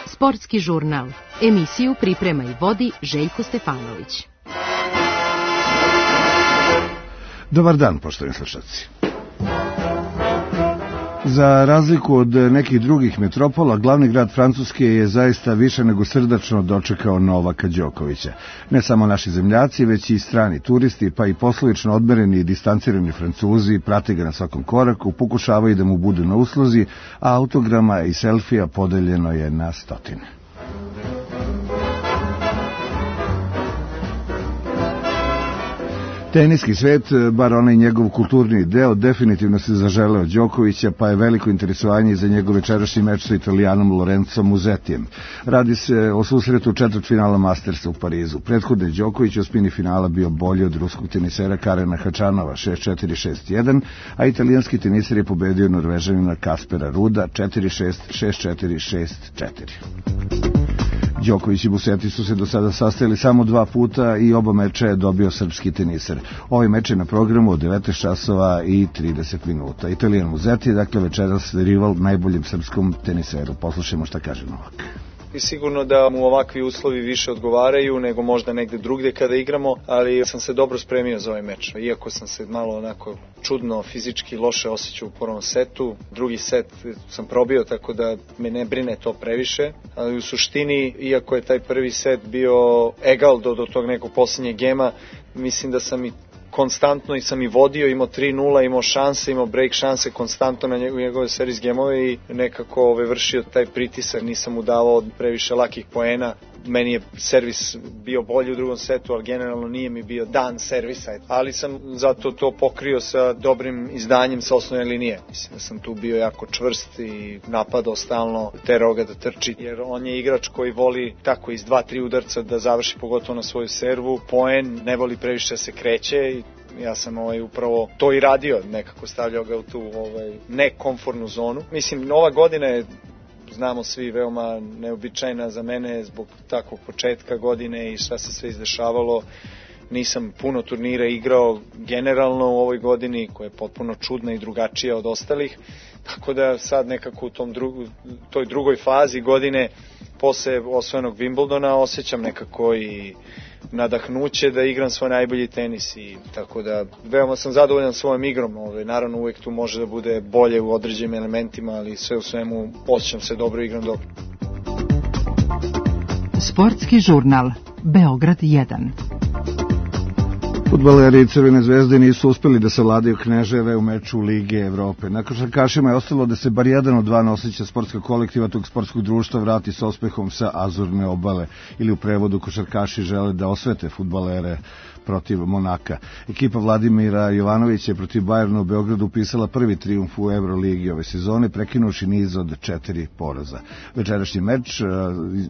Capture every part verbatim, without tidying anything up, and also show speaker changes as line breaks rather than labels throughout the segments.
Sportski žurnal. Emisiju priprema i vodi Željko Stefanović.
Dobar dan, poštovani slušalci. Za razliku od nekih drugih metropola, glavni grad Francuske je zaista više nego srdačno dočekao Novaka Đokovića. Ne samo naši zemljaci, već i strani turisti, pa i poslovično odmereni i distancirani Francuzi prate ga na svakom koraku, pokušavaju da mu budu na usluzi, a autograma i selfija podeljeno je na stotine. Teniski svet, bar onaj njegov kulturni deo, definitivno se zaželeo Đokovića, pa je veliko interesovanje za njegov večerašnji meč sa Italijanom Lorenzom Musettijem. Radi se o susretu četvrtfinala Mastersa u Parizu. Prethodno je Đoković u osmini finala bio bolji od ruskog tenisera Karena Hačanova šest četiri šest jedan, a italijanski teniser je pobedio Norvežanina Kaspera Ruda četiri šest šest četiri šest četiri. Đoković i Musetti su se do sada sastajali samo dva puta i oba meča je dobio srpski teniser. Ovaj meč je na programu od devetnaest časova i trideset minuta. Italijan Musetti je dakle večeras rival najboljem srpskom teniseru. Poslušajmo šta kaže Novak.
I sigurno da mu ovakvi uslovi više odgovaraju nego možda negde drugde kada igramo, ali sam se dobro spremio za ovaj meč. Iako sam se malo onako čudno fizički loše osjećao u prvom setu, drugi set sam probio, tako da me ne brine to previše, ali u suštini, iako je taj prvi set bio egal do, do tog nekog posljednjeg gema, mislim da sam i konstantno i sam i vodio, imao tri nula, imao šanse, imao break šanse konstantno na njegove serijs gemove i nekako ove, vršio taj pritisak, nisam mu davao previše lakih poena. Meni je servis bio bolji u drugom setu, ali generalno nije mi bio dan servisa, ali sam zato to pokrio sa dobrim izdanjem sa osnovne linije. Mislim da sam tu bio jako čvrst i napadao stalno, terao ga da trči, jer on je igrač koji voli tako iz dva tri udarca da završi pogotovo na svoju servu, poen, ne voli previše da se kreće i ja sam ovaj upravo to i radio, nekako stavljao ga u tu ovaj nekomfortnu zonu. Mislim, nova godina je, znamo svi, veoma neobičajna za mene zbog takvog početka godine i šta se sve izdešavalo. Nisam puno turnira igrao generalno u ovoj godini, koja je potpuno čudna i drugačija od ostalih, tako da sad nekako u tom drugu, toj drugoj fazi godine posle osvojenog Wimbledona osjećam nekako i nadahnuće da igram svoj najbolji tenis i tako da veoma sam zadovoljan svojom igrom. Ove, naravno uvijek tu može da bude bolje u određenim elementima, ali sve u svemu osjećam se dobro i igram dobro.
Sportski žurnal Beograd jedan.
Fudbaleri Crvene zvezde nisu uspeli da savladaju Kneževe u meču Lige Evrope. Na košarkašima je ostalo da se bar jedan od dva nosića sportskog kolektiva tog sportskog društva vrati s uspehom sa Azurne obale, ili u prevodu košarkaši žele da osvete fudbalere protiv Monaka. Ekipa Vladimira Jovanovića je protiv Bajerna u Beogradu upisala prvi trijumf u Euroligi ove sezone, prekinuši niz od četiri poraza. Večerašnji meč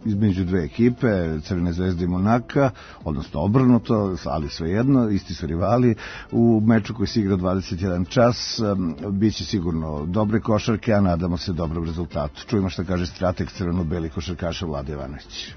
između dve ekipe, Crvene zvezde i Monaka, odnosno obrnuto, ali svejedno, isti su rivali, u meču koji se igra dvadeset jedan čas, biće sigurno dobre košarke, a nadamo se dobrom rezultatu. Čujemo šta kaže strateg crveno-beli košarkaša Vlade Jovanović.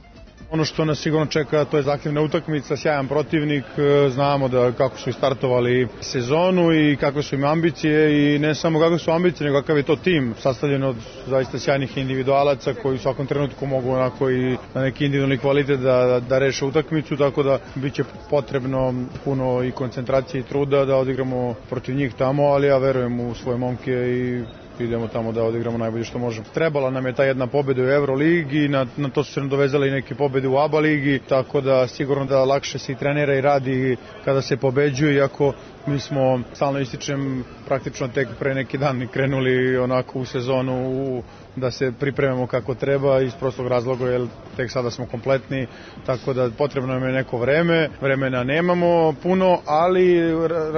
Ono što nas sigurno čeka, to je zahtjevna utakmica, sjajan protivnik, znamo da kako su startovali sezonu i kakve su im ambicije i ne samo kakve su ambicije, nego kakav je to tim sastavljen od zaista sjajnih individualaca koji u svakom trenutku mogu onako i na neki individualni kvalitet da, da reše utakmicu, tako da bit će potrebno puno i koncentracije i truda da odigramo protiv njih tamo, ali ja verujem u svoje momke i idemo tamo da odigramo najbolje što možemo. Trebala nam je ta jedna pobjeda u Euroligi, na, na to su se nadovezale i neke pobjede u ABA ligi, tako da sigurno da lakše se i trenira i radi kada se pobeđuje, iako mi smo, stalno ističem, praktično tek pre neki dan krenuli onako u sezonu u, da se pripremamo kako treba iz prostog razloga, jer tek sada smo kompletni, tako da potrebno nam je neko vreme, vremena nemamo puno, ali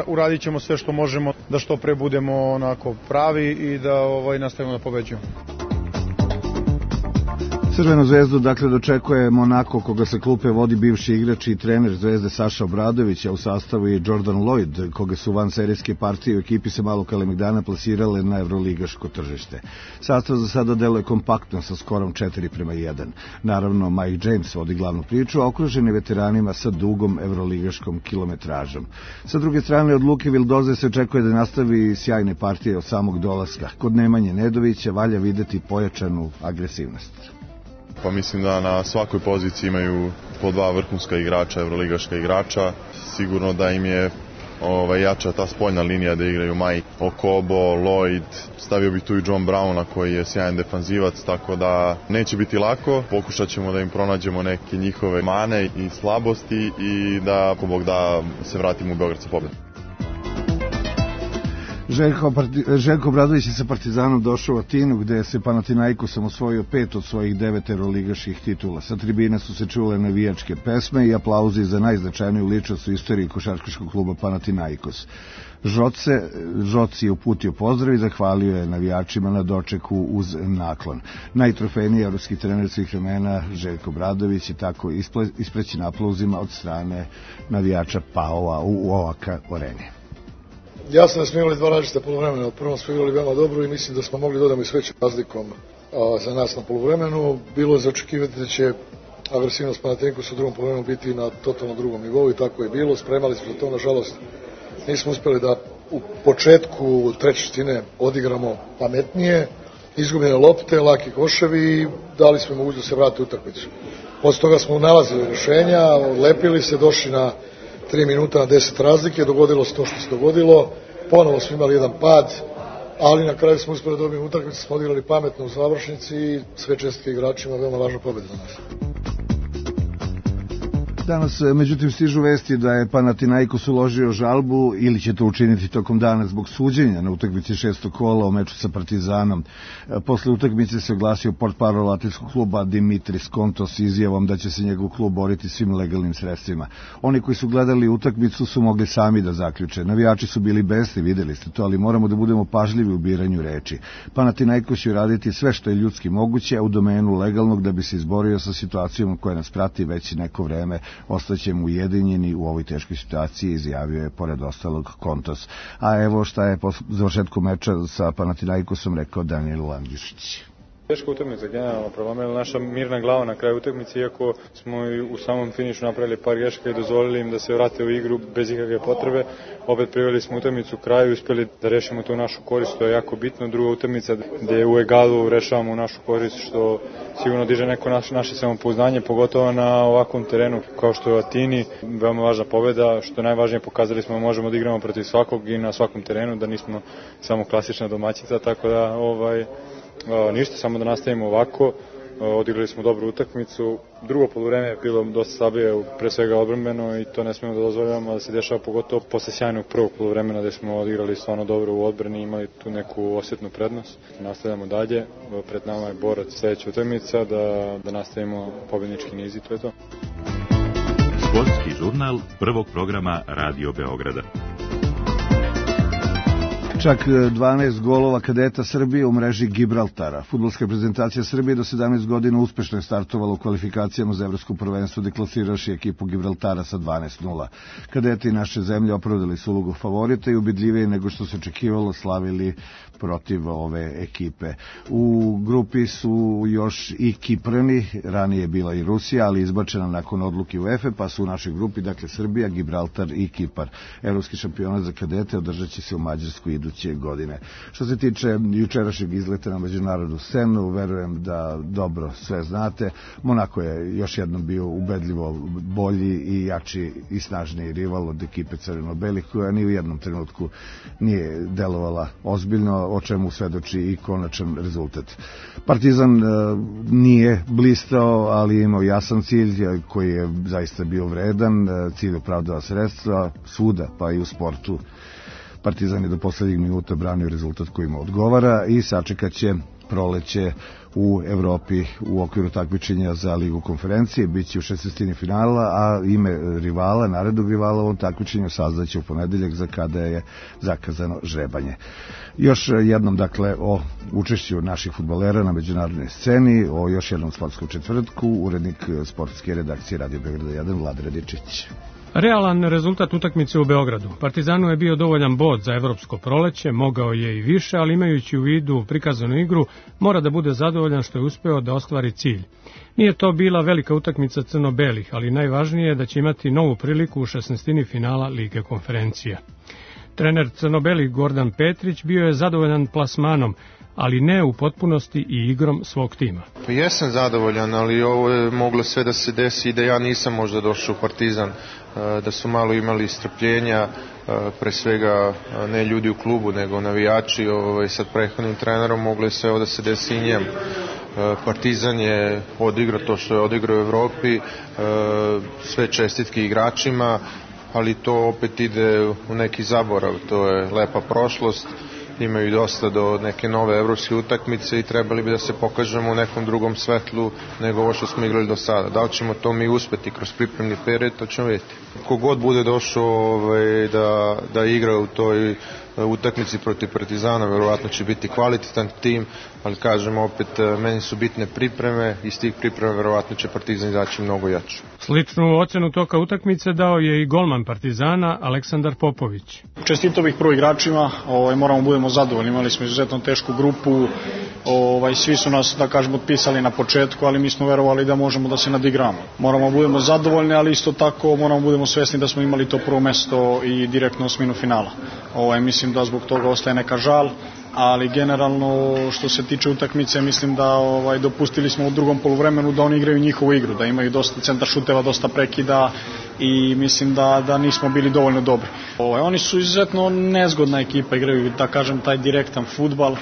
uradit ćemo sve što možemo da što pre budemo onako pravi i da ovaj, nastavimo da pobeđujemo.
Crvenu zvezdu dakle dočekuje Monako, koga sa klupe vodi bivši igrač i trener Zvezde Saša Obradović, a u sastavu je Jordan Lloyd, koga su van serijske partije u ekipi se malo Kalemegdana plasirale na evroligaško tržište. Sastav za sada deluje kompaktno sa skorom četiri prema jedan. Naravno, Mike James vodi glavnu priču, a okružen je veteranima sa dugom evroligaškom kilometražom. Sa druge strane, od Luke Vildoze se očekuje da nastavi sjajne partije od samog dolaska. Kod Nemanje Nedovića valja videti pojačanu agresivnost.
Pa mislim da na svakoj poziciji imaju po dva vrhunska igrača, evroligaška igrača. Sigurno da im je ovaj, jača ta spoljna linija da igraju Mike, Okobo, Lloyd, stavio bi tu i John Browna koji je sjajan defanzivac, tako da neće biti lako. Pokušat ćemo da im pronađemo neke njihove mane i slabosti i da, ako Bog da, se vratimo u Beograd sa pobedom.
Željko, Željko Obradović je sa Partizanom došao u Atinu, gde se Panathinaikosom osvojio pet od svojih devet evroligaških titula. Sa tribine su se čule navijačke pesme i aplauzi za najznačajniju ličnost u istoriji košarkaškog kluba Panathinaikos. Žoce, Žoci je uputio pozdrav i zahvalio je navijačima na dočeku uz naklon. Najtrofejniji evropski trener svih vremena Željko Obradović je tako isprećen aplauzima od strane navijača Paova u Ovaka Areni.
Jasno da smo imali dva različita poluvremena. U prvom smo igrali veoma dobro i mislim da smo mogli dodamo i s većim razlikom a, za nas na poluvremenu. Bilo je za očekivati da će agresivnost Panathinaikosa u drugom poluvremenu biti na totalno drugom nivou i tako je bilo. Spremali smo za to, nažalost nismo uspeli da u početku treće četvrtine odigramo pametnije, izgubljene lopte, laki koševi i dali smo mogućnost da se vrati utakmicu. Posle toga smo nalazili rješenja, lepili se, došli na tri minuta na deset razlike, dogodilo se to što se dogodilo, ponovo smo imali jedan pad, ali na kraju smo uspeli da dobijemo utakmicu, smo odigrali pametno u završnici i sve čestitke igračima, veoma važna pobjeda za nas.
Danas, međutim, stižu vesti da je Panathinaikos uložio žalbu ili će to učiniti tokom dana zbog suđenja na utakmici šestog kola u meču sa Partizanom. Posle utakmice se oglasio portparol Atinskog kluba Dimitris Kontos izjavom da će se njegov klub boriti svim legalnim sredstvima. Oni koji su gledali utakmicu su mogli sami da zaključe. Navijači su bili besni, videli ste to, ali moramo da budemo pažljivi u biranju reči. Panathinaikos će raditi sve što je ljudski moguće, a u domenu legalnog da bi se izborio sa situacijom koja nas prati već neko vreme. Ostaćemo ujedinjeni u ovoj teškoj situaciji, izjavio je pored ostalog Kontos. A evo šta je po završetku meča sa Panathinaikosom rekao Daniel Landjušić.
Teška utakmica, generalno prelomila naša mirna glava na kraju utakmice, iako smo u samom finišu napravili par grešaka i dozvolili im da se vrate u igru bez ikakve potrebe. Opet priveli smo utakmicu u kraju i uspeli da rešimo to u našu korist, to je jako bitno. Druga utakmica gde u egalu rešavamo u našu korist, što sigurno diže neko naše, naše samopouzdanje, pogotovo na ovakvom terenu kao što je u Atini. Veoma važna pobeda, što najvažnije pokazali smo da možemo da igramo protiv svakog i na svakom terenu, da nismo samo klasična domaćica, tako da ovaj Uh, ništa, samo da nastavimo ovako. Uh, odigrali smo dobru utakmicu. Drugo poluvreme je bilo dosta slabije, pre svega odbrambeno, i to ne smemo da dozvoljavamo da se dešava, pogotovo posle sjajnog prvog poluvremena gde smo odigrali stvarno dobro u odbrani i imali tu neku osjetnu prednost. Nastavljamo dalje, pred nama je Borac sledeća utakmica, da, da nastavimo pobednički niz i to je to.
Sportski žurnal prvog programa Radio Beograda.
Čak dvanaest golova kadeta Srbije u mreži Gibraltara. Fudbalska reprezentacija Srbije do sedamnaest godina uspešno je startovala u kvalifikacijama za evropsko prvenstvo, deklasiraši ekipu Gibraltara sa dvanaest nula. Kadeti naše zemlje opravdali su ulogu favorita i ubedljivije nego što se očekivalo slavili protiv ove ekipe. U grupi su još i Kiprani, ranije je bila i Rusija, ali izbačena nakon odluke UEFA, pa su u našoj grupi, dakle, Srbija, Gibraltar i Kipar. Evropski šampionat za kadete održat će se u Mađarsku iduće godine. Što se tiče jučerašnjeg izleta na međunarodnu scenu, verujem da dobro sve znate. Monako je još jednom bio ubedljivo bolji i jači i snažniji rival od ekipe crveno-belih, koja ni u jednom trenutku nije delovala ozbiljno, o čemu svedoči i konačan rezultat. Partizan e, nije blistao, ali imao jasan cilj koji je zaista bio vredan, e, cilj opravdava sredstva svuda, pa i u sportu. Partizan je do poslednjeg minuta branio rezultat koji mu odgovara i sačekat će proleće u Evropi u okviru takmičenja za Ligu konferencije, biće u šesnaestini finala, a ime rivala, narednog rivala u ovom takmičenju saznaće u ponedeljak za kada je zakazano žrebanje. Još jednom, dakle, o učešću naših fudbalera na međunarodnoj sceni, o još jednom sportskom četvrtku, urednik sportske redakcije Radio Beograda jedan, Vlada Radičić.
Realan rezultat utakmice u Beogradu. Partizanu je bio dovoljan bod za evropsko proleće, mogao je i više, ali imajući u vidu prikazanu igru, mora da bude zadovoljan što je uspeo da ostvari cilj. Nije to bila velika utakmica crno-belih, ali najvažnije je da će imati novu priliku u šesnaestini finala Lige konferencija. Trener crno-belih Gordan Petrić bio je zadovoljan plasmanom, ali ne u potpunosti i igrom svog tima.
Pa jesam zadovoljan, ali ovo je moglo sve da se desi i da ja nisam možda došao u Partizan, da su malo imali strpljenja, pre svega ne ljudi u klubu, nego navijači. Ovaj, sad prethodnim trenerom moglo je sve ovo da se desi i njemu. Partizan je odigrao to što je odigrao u Evropi, sve čestitke igračima, ali to opet ide u neki zaborav, to je lepa prošlost. Imaju dosta do neke nove evropske utakmice i trebali bi da se pokažemo u nekom drugom svetlu nego ovo što smo igrali do sada. Da li ćemo to mi uspeti kroz pripremni period, to ćemo vidjeti. Kogod bude došao ovaj, da, da igra u toj utakmici protiv Partizana, verovatno će biti kvalitetan tim, ali kažem opet, meni su bitne pripreme i iz tih priprema verovatno će Partizan izaći mnogo jače.
Sličnu ocenu toka utakmice dao je i golman Partizana Aleksandar Popović.
Čestito bih prvo igračima, ovaj, moramo budemo zadovoljni, imali smo izuzetno tešku grupu, ovaj, svi su nas, da kažemo, otpisali na početku, ali mi smo verovali da možemo da se nadigramo. Moramo budemo zadovoljni, ali isto tako moramo budemo svesni da smo imali to prvo mesto i direktno osminu finala. Ovaj, mislim da zbog toga ostaje neka žal, ali generalno što se tiče utakmice mislim da ovaj, dopustili smo u drugom poluvremenu da oni igraju njihovu igru, da imaju dosta centar šuteva, dosta prekida i mislim da, da nismo bili dovoljno dobri. Ovaj, oni su izuzetno nezgodna ekipa, igraju, da kažem, taj direktan fudbal,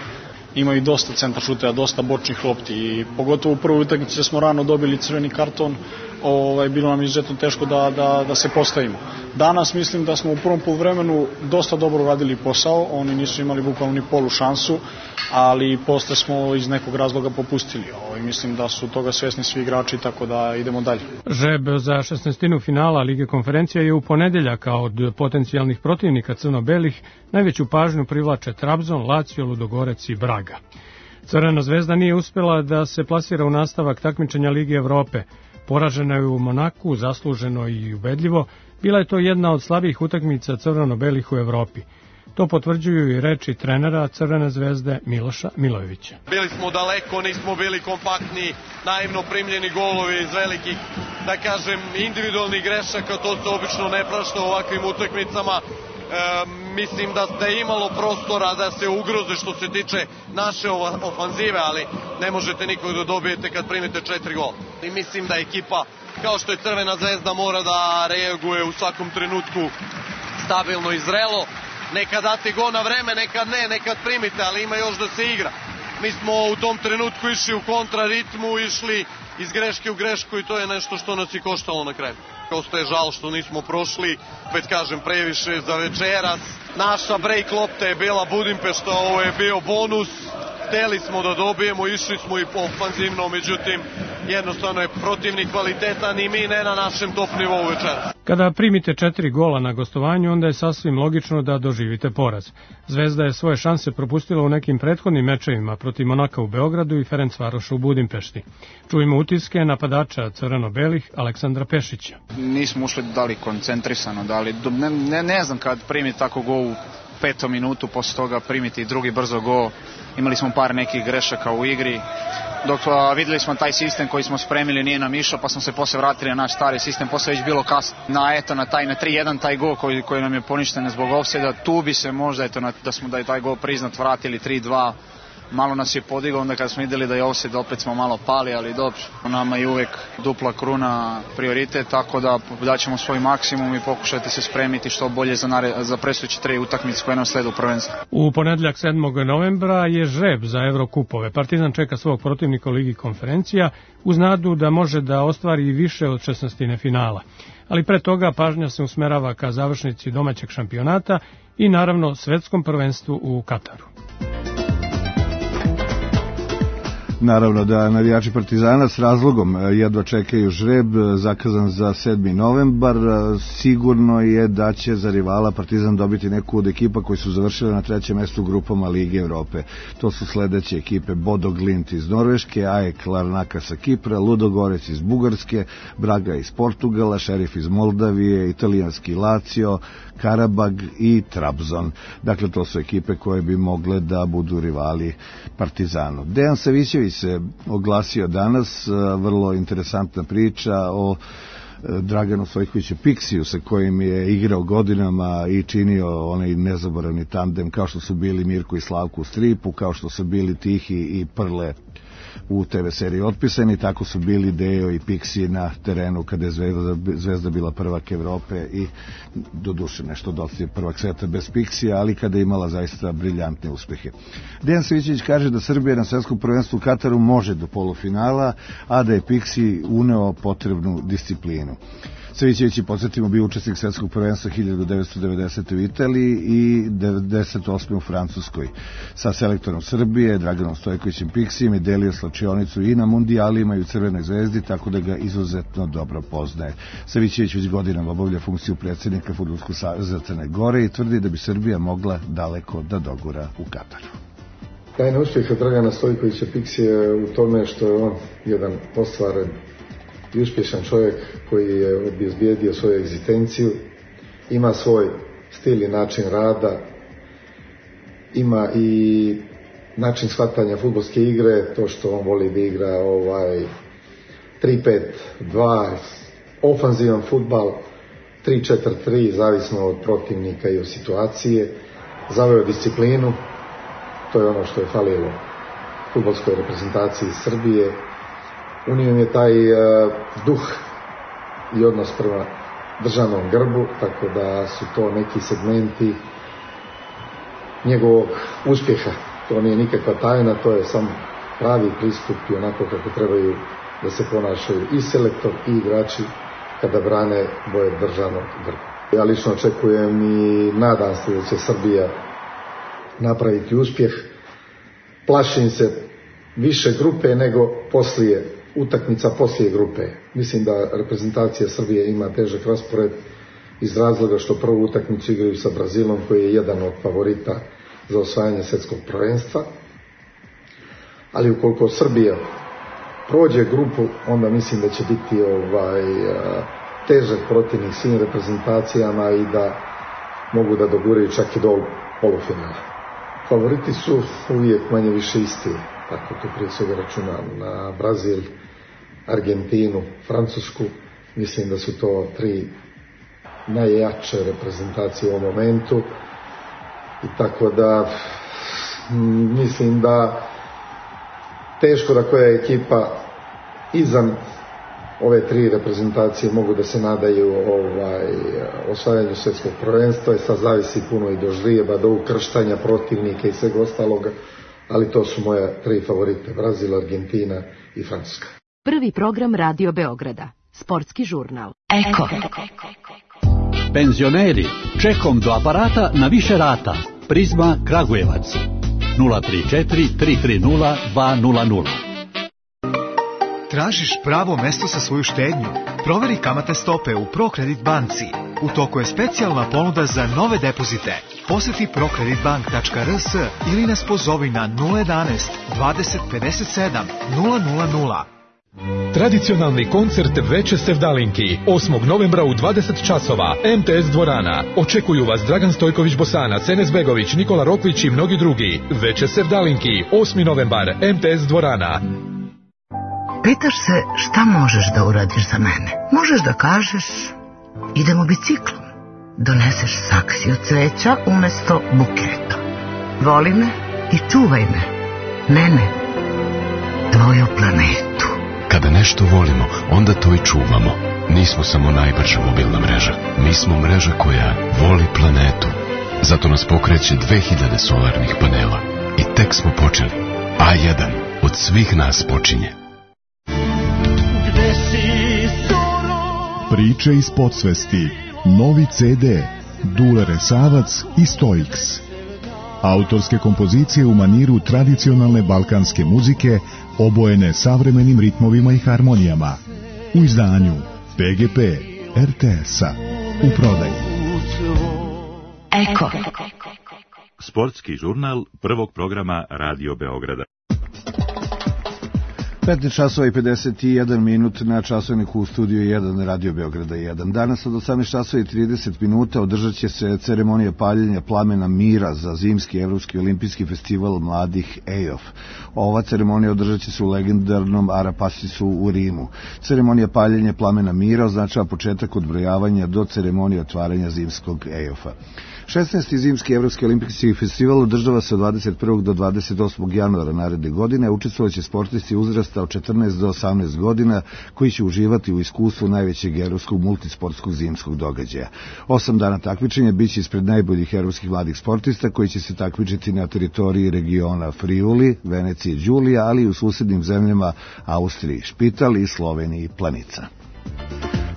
imaju dosta centar šuteva, dosta bočnih lopti i pogotovo u prvoj utakmici smo rano dobili crveni karton, ovaj, bilo nam izuzetno teško da, da, da se postavimo. Danas mislim da smo u prvom poluvremenu dosta dobro radili posao, oni nisu imali bukvalno ni polu šansu, ali posle smo iz nekog razloga popustili. Ovaj, mislim da su toga svesni svi igrači, tako da idemo dalje.
Žreb za šesnaestinu finala Lige konferencija je u ponedeljak, a od potencijalnih protivnika crno-belih najveću pažnju privlače Trabzon, Lazio, Ludogorec i Braga. Crvena zvezda nije uspela da se plasira u nastavak takmičenja Lige Evrope. Poražena je u Monaku, zasluženo i ubedljivo. Bila je to jedna od slabijih utakmica crveno-belih u Evropi. To potvrđuju i reči trenera Crvene zvezde Miloša Milojevića.
Bili smo daleko, nismo bili kompaktni, naivno primljeni golovi iz velikih, da kažem, individualnih grešaka, to se obično ne prašta u ovakvim utakmicama. E, mislim da ste imalo prostora da se ugroze što se tiče naše ofanzive, ali ne možete nikog da dobijete kad primite četiri gola. I mislim da ekipa, kao što je Crvena zvezda, mora da reaguje u svakom trenutku stabilno i zrelo. Nekad date go na vreme, nekad ne, nekad primite, ali ima još da se igra. Mi smo u tom trenutku išli u kontraritmu, išli iz greške u grešku i to je nešto što nas i koštalo na kraju. Ostaje žal što nismo prošli, već kažem, previše za večeras. Naša break lopta je bila Budimpešta, ovo je bio bonus. Hteli smo da dobijemo, išli smo i po ofanzivno, međutim, jednostavno je protivnik kvalitetan i mi ne na našem top nivou večeras.
Kada primite četiri gola na gostovanju, onda je sasvim logično da doživite poraz. Zvezda je svoje šanse propustila u nekim prethodnim mečevima protiv Monaka u Beogradu i Ferencvaroša u Budimpešti. Čujemo utiske napadača crveno-belih Aleksandra Pešića.
Nismo ušli da li koncentrisano, da li, ne, ne, ne znam kad primiti tako gol u petom minutu, posle toga primiti drugi brzo gol. Imali smo par nekih grešaka u igri, dok a, videli smo taj sistem koji smo spremili nije nam išao, pa smo se posle vratili na naš stari sistem, posle već bilo kasno. Na eto na taj na tri jedan taj gol koji koji nam je poništen zbog ofsajda, tu bi se možda eto na, da smo da je taj gol priznat vratili tri dva. Malo nas je podigao, onda kad smo videli da je ofsajd, opet smo malo pali, ali dobro. Nama je uvek dupla kruna prioritet, tako da daćemo svoj maksimum i pokušati se spremiti što bolje za, nare, za predstojeće tri utakmice koje nam slede u prvenstvu.
U ponedeljak sedmog novembra je žreb za Evrokupove. Partizan čeka svog protivnika u Ligi konferencija uz nadu da može da ostvari više od šesnaestine finala. Ali pre toga pažnja se usmerava ka završnici domaćeg šampionata i naravno svetskom prvenstvu u Kataru.
Naravno da navijači Partizana s razlogom jedva čekaju žreb zakazan za sedmi novembar. Sigurno je da će za rivala Partizan dobiti neku od ekipa koji su završile na trećem mestu u grupama Lige Evrope. To su sledeće ekipe: Bodo Glimt iz Norveške, A E K Larnaka sa Kipra, Ludogorec iz Bugarske, Braga iz Portugala, Šerif iz Moldavije, italijanski Lazio, Karabag i Trabzon. Dakle, to su ekipe koje bi mogle da budu rivali Partizanu. Dejan Savićević se oglasio danas, vrlo interesantna priča o Draganu Stojkoviću Piksiju sa kojim je igrao godinama i činio onaj nezaboravni tandem, kao što su bili Mirko i Slavko u stripu, kao što su bili Tihi i Prle u te ve seriji Otpisani, tako su bili Deo i Piksi na terenu kada je Zvezda, Zvezda bila prvak Evrope i doduše nešto dosti prvak sveta bez Piksija, ali kada je imala zaista briljantne uspehe. Dejan Savićević kaže da Srbija na svetskom prvenstvu u Kataru može do polufinala, a da je Piksi uneo potrebnu disciplinu. Savićević je, podsjetimo, bio učesnik svetskog prvenstva hiljadu devetsto devedesete. u Italiji i devedeset osme u Francuskoj. Sa selektorom Srbije, Draganom Stojkovićem Piksijem, je delio slačionicu i na mundijalima i u Crvenoj zvezdi, tako da ga izuzetno dobro poznaje. Savićević već godinama obavlja funkciju predsjednika Fudbalskog saveza Crne Gore i tvrdi da bi Srbija mogla daleko da dogura u Kataru.
Tajna uspjeha Dragana Stojkovića Piksija u tome što je on jedan ostvaren i uspješan čovjek koji je obezbijedio svoju egzistenciju, ima svoj stil i način rada, ima i način shvatanja fudbalske igre, to što on voli da igra ovaj tri pet dva, ofanzivan fudbal, tri četiri tri, zavisno od protivnika i od situacije, zaveo disciplinu, to je ono što je falilo fudbalskoj reprezentaciji Srbije. Unio je taj uh, duh i odnos prema državnom grbu, tako da su to neki segmenti njegovog uspjeha. To nije nikakva tajna, to je sam pravi pristup i onako kako trebaju da se ponašaju i selektor i igrači kada brane boje državnog grba. Ja lično očekujem i nadam se da će Srbija napraviti uspjeh. Plašim se više grupe nego poslije utakmica poslije grupe. Mislim da reprezentacija Srbije ima težak raspored iz razloga što prvu utakmicu igraju sa Brazilom, koji je jedan od favorita za osvajanje svjetskog prvenstva. Ali ukoliko Srbija prođe grupu, onda mislim da će biti ovaj težak protivnik svim reprezentacijama i da mogu da doguraju čak i do polufinala. Favoriti su uvijek manje više isti, tako to prije svega računam na Brazil, Argentinu, Francusku. Mislim da su to tri najjače reprezentacije u ovom momentu i tako da mislim da teško da koja ekipa izan ove tri reprezentacije mogu da se nadaju ovaj, osvajanju svjetskog prvenstva i sad zavisi puno i do ždrijeba, do ukrštanja protivnika i svega ostaloga, ali to su moje tri favorite: Brazil, Argentina i Francuska.
Prvi program Radio Beograda, sportski žurnal.
Eko. Penzioneri, čekom do aparata na više rata. Prizma Kragujevac. nula tri četiri tri tri nula dva nula nula.
Tražiš pravo mesto za svoju štednju? Proveri kamatne stope u ProCredit banci. U toku je specijalna ponuda za nove depozite. Posjeti procredit bank tačka r s ili nas pozovi na nula jedanaest dvadeset pedeset sedam nula nula nula.
Tradicionalni koncert Veče sevdalinki osmog novembra u dvadeset časova, em te es dvorana. Očekuju vas Dragan Stojković Bosanac, Enes Begović, Nikola Rokvić i mnogi drugi. Veče sevdalinki, osmi novembar, em te es dvorana.
Pitaš se šta možeš da uradiš za mene? Možeš da kažeš idemo biciklom. Doneseš saksiju cveća umesto buketa. Voli me i čuvaj me. Mene, tvoju planetu.
Kada nešto volimo, onda to i čuvamo. Nismo samo najbrža mobilna mreža. Mi smo mreža koja voli planetu. Zato nas pokreće dve hiljade solarnih panela. I tek smo počeli. A jedan od svih nas počinje.
Priče iz podsvesti. Novi ce de. Dule Resavac i Stoiks. Autorske kompozicije u maniru tradicionalne balkanske muzike obojene savremenim ritmovima i harmonijama. U izdanju P G P R T S-a. U prodaji.
Eko.
Sportski žurnal prvog programa Radio Beograda.
petnaest časova i pedeset jedan minut na časovniku u studiju jedan Radio Beograda jedan. Danas od osamnaest časova i trideset minuta održat će se ceremonija paljenja plamena mira za zimski Evropski olimpijski festival mladih E O F. Ova ceremonija održat će se u legendarnom Arapasisu u Rimu. Ceremonija paljenja plamena mira označava početak odbrojavanja do ceremonije otvaranja zimskog E O F-a. šesnaesti zimski Evropski olimpijski festival održava se od dvadeset prvog do dvadeset osmog januara naredne godine. Učestvovaće sportisti uzrasta od četrnaest do osamnaest godina koji će uživati u iskustvu najvećeg evropskog multisportskog zimskog događaja. Osam dana takmičenja biće ispred najboljih evropskih mladih sportista koji će se takmičiti na teritoriji regiona Friuli, Venecije, Đulija, ali i u susednim zemljama Austriji, Špital i Sloveniji, Planica.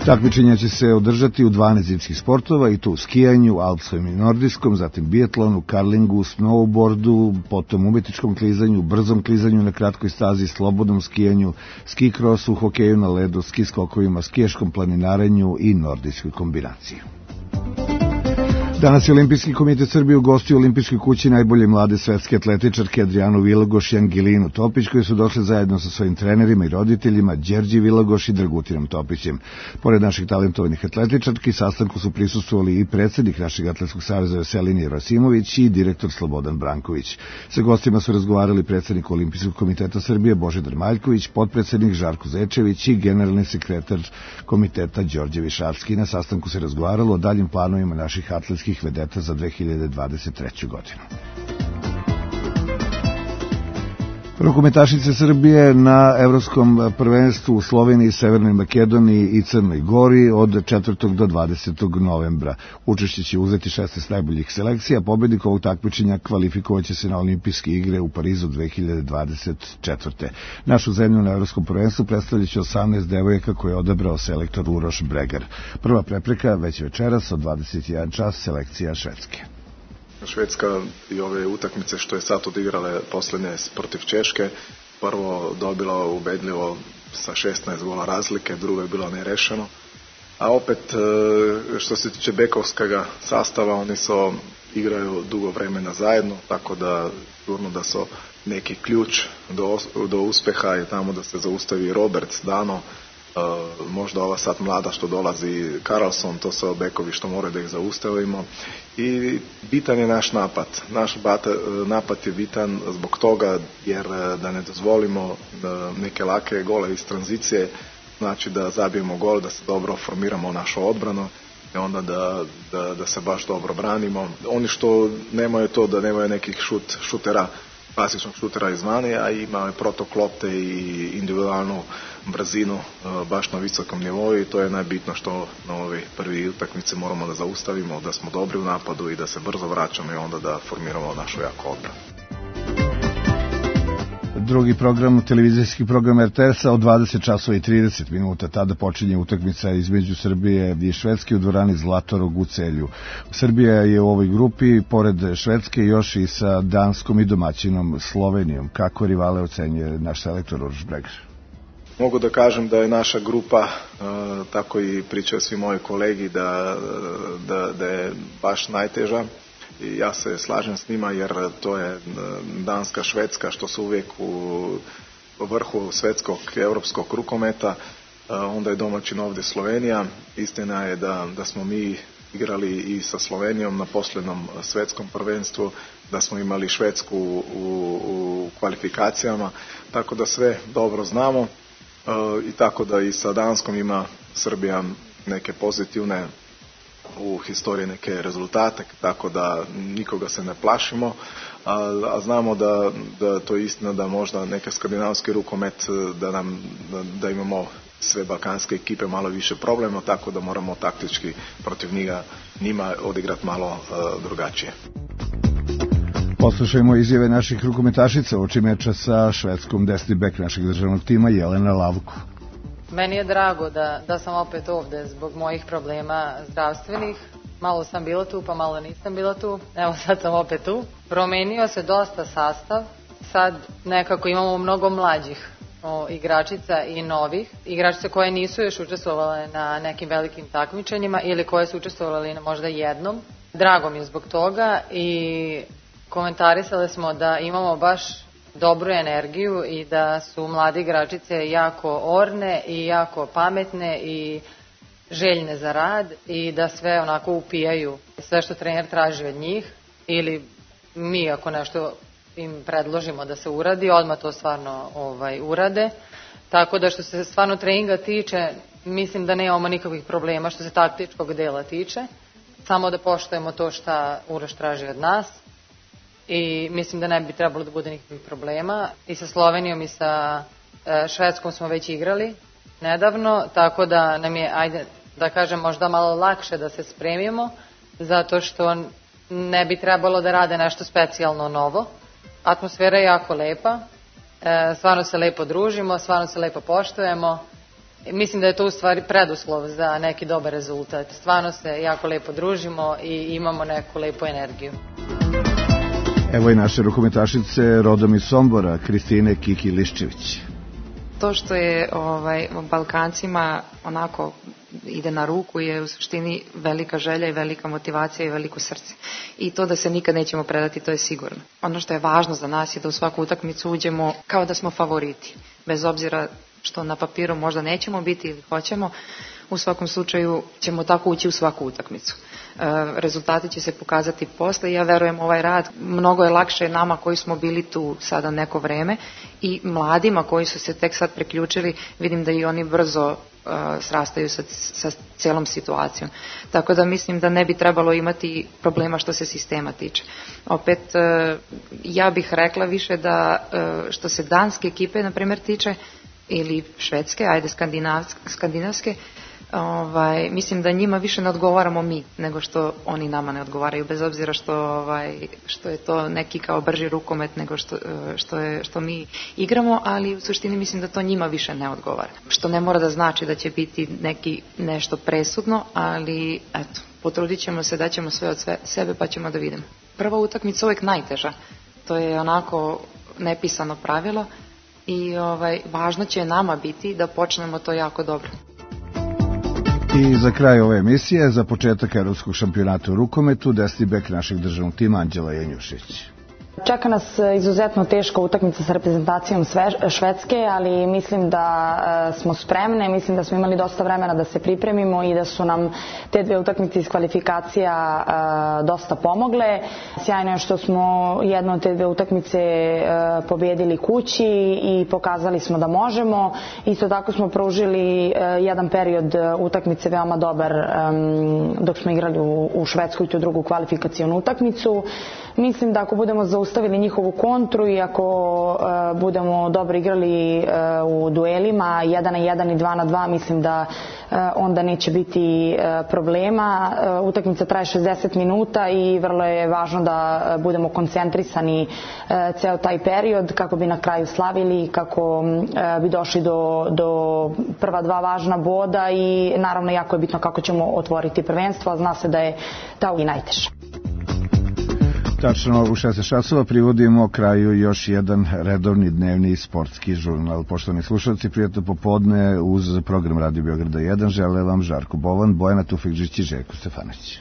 Takmičenja će se održati u dvanaest zimskih sportova i to u skijanju, alpskom i nordijskom, zatim biatlonu, karlingu, snowboardu, potom umetničkom klizanju, brzom klizanju na kratkoj stazi, slobodnom skijanju, ski krosu, hokeju na ledu, ski skokovima, skijaškom planinarenju i nordijskoj kombinaciji. Danas je Olimpijski komitet Srbije ugostio u Olimpijskoj kući najbolje mlade svetske atletičarke Adrijanu Vilagoš i Angelinu Topić, koji su došli zajedno sa svojim trenerima i roditeljima Đerđi Vilagoš i Dragutinom Topićem. Pored naših talentovanih atletičarki, sastanku su prisustvovali i predsjednik našeg atletskog saveza Veselin Jerosimović i direktor Slobodan Branković. Sa gostima su razgovarali predsjednik Olimpijskog komiteta Srbije Božidar Maljković, potpredsjednik Žarko Zečević i generalni sekretar komiteta Đorđe Višavski. Na sastanku se razgovaralo o daljim planovima naših atletskih vedeta za dve hiljade dvadeset treću. godinu. Rukometašice Srbije na Evropskom prvenstvu u Sloveniji, Severnoj Makedoniji i Crnoj Gori od četvrtog do dvadesetog novembra. Učešće će uzeti šesnaest najboljih selekcija, pobednik ovog takmičenja kvalifikovaće se na olimpijske igre u Parizu dve hiljade dvadeset četvrte. Našu zemlju na Evropskom prvenstvu predstavljaće osamnaest devojaka koje je odabrao selektor Uroš Bregar. Prva prepreka već večeras od dvadeset jedan čas selekcija Švedske.
Švedska i ove utakmice što je sad odigrale posljednje protiv Češke, prvo dobila ubedljivo sa šesnaest gola razlike, drugo je bilo nerešeno. A opet što se tiče bekovskog sastava, oni su igraju dugo vremena zajedno, tako da sigurno da su neki ključ do, do uspeha je tamo da se zaustavi Roberts, Dano, Uh, možda ova sad mlada što dolazi Karlsson, to su bekovi što moraju da ih zaustavimo i bitan je naš napad. Naš bata, napad je bitan zbog toga jer da ne dozvolimo da neke lake gole iz tranzicije, znači da zabijemo gol, da se dobro formiramo našu odbranu i onda da, da, da se baš dobro branimo. Oni što nemaju to da nemaju nekih šut, šutera, klasičnog šutera izvana, a ima protok lopte i individualnu brzinu baš na visokom nivou i to je najbitno što na ove prvi utakmice moramo da zaustavimo, da smo dobri u napadu i da se brzo vraćamo i onda da formiramo našu jako odbranu.
Drugi program, televizijski program R T S-a od dvadeset časova i trideset minuta. Tada počinje utakmica između Srbije i Švedske u dvorani Zlatorog u Celju. Srbija je u ovoj grupi, pored Švedske, još i sa Danskom i domaćinom Slovenijom. Kako rivale ocenjuje naš selektor Uroš Bregar?
Mogu da kažem da je naša grupa, tako i pričaju svi moji kolegi, da, da, da je baš najteža. I ja se slažem s njima jer to je Danska, Švedska što su uvijek u vrhu svetskog europskog rukometa, onda je domaćin ovdje Slovenija. Istina je da, da smo mi igrali i sa Slovenijom na posljednom svetskom prvenstvu, da smo imali Švedsku u, u kvalifikacijama, tako da sve dobro znamo i tako da i sa Danskom ima Srbija neke pozitivne u historiji neke rezultate, tako da nikoga se ne plašimo, a, a znamo da, da to je istina da možda neke skandinavski rukomet, da, nam, da, da imamo sve balkanske ekipe malo više problema, tako da moramo taktički protiv njega, njima odigrati malo uh, drugačije.
Poslušajmo izjave naših rukometašica oči meča sa Švedskom. Desni bek našeg državnog tima Jelena Lavko.
Meni je drago da, da sam opet ovde zbog mojih problema zdravstvenih. malo sam bila tu, pa malo nisam bila tu, evo sad sam opet tu. Promenio se dosta sastav, sad nekako imamo mnogo mlađih o, igračica i novih. Igračice koje nisu još učestvovale na nekim velikim takmičenjima ili koje su učestvovali na možda jednom. Drago mi je zbog toga i komentarisali smo da imamo baš dobru energiju i da su mlade igračice jako orne i jako pametne i željne za rad i da sve onako upijaju sve što trener traži od njih ili mi ako nešto im predložimo da se uradi, odmah to stvarno ovaj, urade. Tako da što se stvarno treninga tiče, mislim da nemamo nikakvih problema što se taktičkog dela tiče. Samo da poštujemo to što Uroš traži od nas i mislim da ne bi trebalo da bude nikakvih problema. I sa Slovenijom i sa Švedskom smo već igrali nedavno, tako da nam je, ajde da kažem, možda malo lakše da se spremimo, zato što ne bi trebalo da rade nešto specijalno novo. Atmosfera je jako lepa, stvarno se lepo družimo, stvarno se lepo poštujemo. Mislim da je to u stvari preduslov za neki dobar rezultat. Stvarno se jako lepo družimo i imamo neku lepu energiju.
Evo i naše rukometašice rodom iz Sombora, Kristine Kiki Liščević.
To što je ovaj, Balkancima onako ide na ruku je u suštini velika želja i velika motivacija i veliko srce. I to da se nikad nećemo predati, to je sigurno. Ono što je važno za nas je da u svaku utakmicu uđemo kao da smo favoriti. Bez obzira što na papiru možda nećemo biti ili hoćemo, u svakom slučaju ćemo tako ući u svaku utakmicu. E, rezultati će se pokazati posle i ja verujem ovaj rad mnogo je lakše nama koji smo bili tu sada neko vreme i mladima koji su se tek sad preključili, vidim da i oni brzo uh, srastaju sa, sa celom situacijom. Tako da mislim da ne bi trebalo imati problema što se sistema tiče. Opet, uh, ja bih rekla više da uh, što se danske ekipe, na primjer, tiče, ili švedske, ajde skandinavske, ovaj, mislim da njima više ne odgovaramo mi nego što oni nama ne odgovaraju, bez obzira što, ovaj, što je to neki kao brži rukomet nego što, što, je, što mi igramo, ali u suštini mislim da to njima više ne odgovara. Što ne mora da znači da će biti neki nešto presudno, ali eto, potrudit ćemo se, daćemo sve od sve, sebe pa ćemo da vidimo. Prva utakmica uvek najteža, to je onako nepisano pravilo i ovaj, važno će nama biti da počnemo to jako dobro.
I za kraj ove emisije, za početak Evropskog šampionata u rukometu, desni bek našeg državnog tima Anđela Janjušić.
Čeka nas izuzetno teška utakmica sa reprezentacijom Švedske, ali mislim da smo spremne, mislim da smo imali dosta vremena da se pripremimo i da su nam te dve utakmice iz kvalifikacija dosta pomogle. Sjajno je što smo jednu od te dve utakmice pobedili kući i pokazali smo da možemo. Isto tako smo pružili jedan period utakmice veoma dobar dok smo igrali u Švedskoj tu drugu kvalifikacionu utakmicu. Mislim da ako budemo zaustavili njihovu kontru i ako uh, budemo dobro igrali uh, u duelima jedan na jedan i dva na dva, mislim da uh, onda neće biti uh, problema. Uh, utakmica traje šezdeset minuta i vrlo je važno da uh, budemo koncentrisani uh, ceo taj period kako bi na kraju slavili, kako uh, bi došli do, do prva dva važna boda i naravno jako je bitno kako ćemo otvoriti prvenstvo, a zna se da je ta i najteža.
Tačno u šesnaest časova privodimo kraju još jedan redovni dnevni sportski žurnal. Poštovani slušalci, prijatno popodne uz program Radio Beograda jedan žele vam Žarko Bovan, Bojana Tufekžić i Željko Stefanović.